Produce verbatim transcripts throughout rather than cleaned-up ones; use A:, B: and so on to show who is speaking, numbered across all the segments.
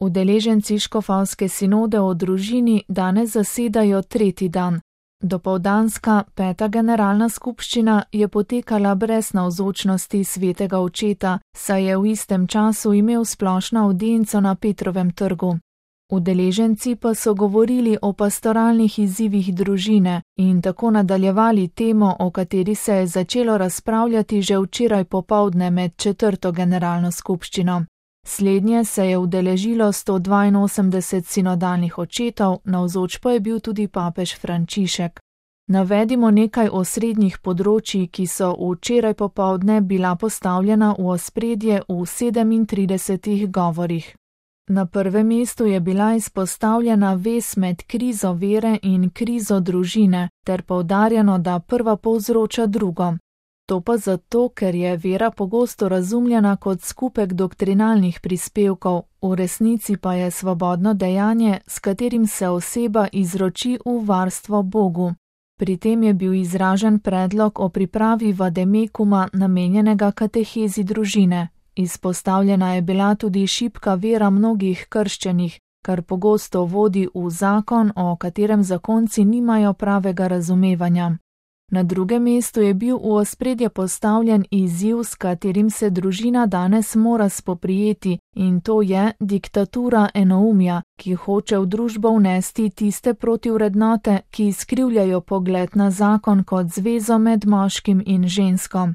A: Udeleženci škofovske sinode o družini danes zasedajo tretji dan. Dopoldanska peta generalna skupščina je potekala brez navzočnosti svetega očeta, saj je v istem času imel splošno avdienco na Petrovem trgu. Udeleženci pa so govorili o pastoralnih izzivih družine in tako nadaljevali temo, o kateri se je začelo razpravljati že včeraj popoldne med četrto generalno skupščino. Slednje se je udeležilo sto dvainosemdeset sinodalnih očetov, navzoč pa je bil tudi papež Frančišek. Navedimo nekaj osrednjih področij, ki so včeraj popoldne bila postavljena v ospredje v sedemintridesetih govorih. Na prvem mestu je bila izpostavljena vez med krizo vere in krizo družine, ter poudarjeno, da prva povzroča drugo. To pa zato, ker je vera pogosto razumljena kot skupek doktrinalnih prispevkov, v resnici pa je svobodno dejanje, s katerim se oseba izroči v varstvo Bogu. Pri tem je bil izražen predlog o pripravi vademekuma namenjenega katehezi družine. Izpostavljena je bila tudi šibka vera mnogih krščenih, kar pogosto vodi v zakon, o katerem zakonci nimajo pravega razumevanja. Na drugem mestu je bil v ospredje postavljen izziv, s katerim se družina danes mora spoprijeti, in to je diktatura enoumja, ki hoče v družbo vnesti tiste protivrednote, ki izkrivljajo pogled na zakon kot zvezo med moškim in žensko.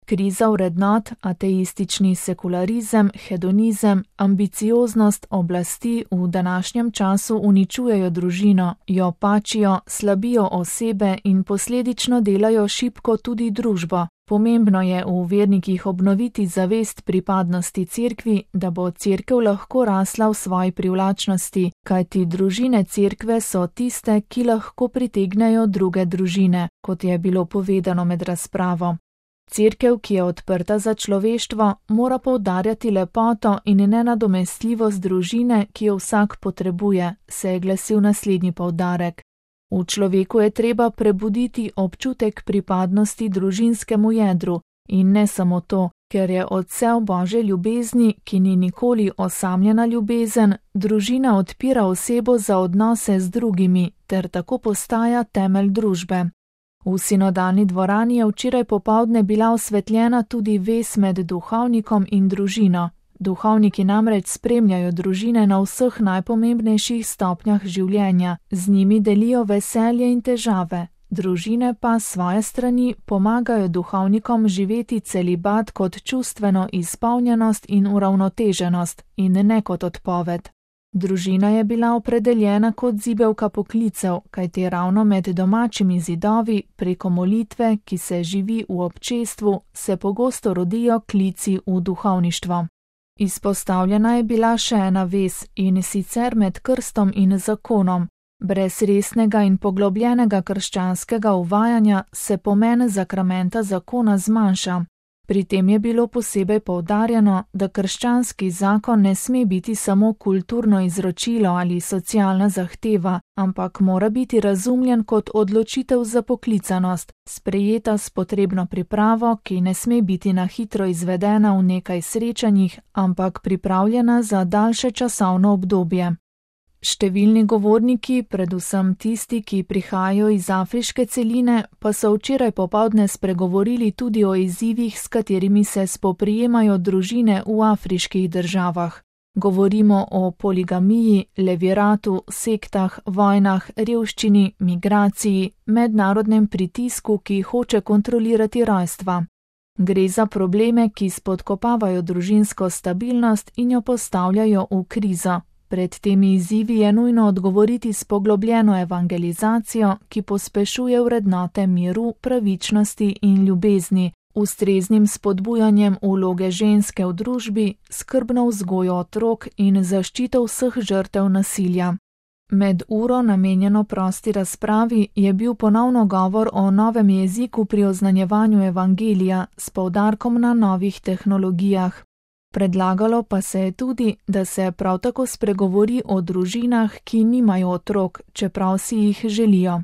A: Kriza vrednot, ateistični sekularizem, hedonizem, ambicioznost oblasti v današnjem času uničujejo družino, jo pačijo, slabijo osebe in posledično delajo šibko tudi družbo. Pomembno je v vernikih obnoviti zavest pripadnosti cerkvi, da bo cerkev lahko rasla v svoji privlačnosti, kajti družine cerkve so tiste, ki lahko pritegnejo druge družine, kot je bilo povedano med razpravo. Cerkev, ki je odprta za človeštvo, mora poudarjati lepoto in nenadomestljivost družine, ki jo vsak potrebuje, se je glasil naslednji poudarek. V človeku je treba prebuditi občutek pripadnosti družinskemu jedru in ne samo to, ker je odsev Božje ljubezni, ki ni nikoli osamljena ljubezen, družina odpira osebo za odnose z drugimi ter tako postaja temelj družbe. V sinodalni dvorani je včeraj popoldne bila osvetljena tudi vez med duhovnikom in družino. Duhovniki namreč spremljajo družine na vseh najpomembnejših stopnjah življenja, z njimi delijo veselje in težave. Družine pa s svoje strani pomagajo duhovnikom živeti celibat kot čustveno izpolnjenost in uravnoteženost in ne kot odpoved. Družina je bila opredeljena kot zibelka poklicev, kajti ravno med domačimi zidovi, preko molitve, ki se živi v občestvu, se pogosto rodijo klici v duhovništvo. Izpostavljena je bila še ena vez, in sicer med krstom in zakonom. Brez resnega in poglobljenega krščanskega uvajanja se pomen zakramenta zakona zmanjša. Pri tem je bilo posebej poudarjeno, da krščanski zakon ne sme biti samo kulturno izročilo ali socialna zahteva, ampak mora biti razumljen kot odločitev za poklicanost, sprejeta s potrebno pripravo, ki ne sme biti na hitro izvedena v nekaj srečanjih, ampak pripravljena za daljše časovno obdobje. Številni govorniki, predvsem tisti, ki prihajajo iz afriške celine, pa so včeraj popoldne spregovorili tudi o izzivih, s katerimi se spoprijemajo družine v afriških državah. Govorimo o poligamiji, leviratu, sektah, vojnah, revščini, migraciji, mednarodnem pritisku, ki hoče kontrolirati rojstva. Gre za probleme, ki spodkopavajo družinsko stabilnost in jo postavljajo v krizo. Pred temi izzivi je nujno odgovoriti s poglobljeno evangelizacijo, ki pospešuje vrednote miru, pravičnosti in ljubezni, ustreznim spodbujanjem vloge ženske v družbi, skrbno vzgojo otrok in zaščito vseh žrtev nasilja. Med uro, namenjeno prosti razpravi, je bil ponovno govor o novem jeziku pri oznanjevanju evangelija s poudarkom na novih tehnologijah. Predlagalo pa se je tudi, da se prav tako spregovori o družinah, ki nimajo otrok, čeprav si jih želijo.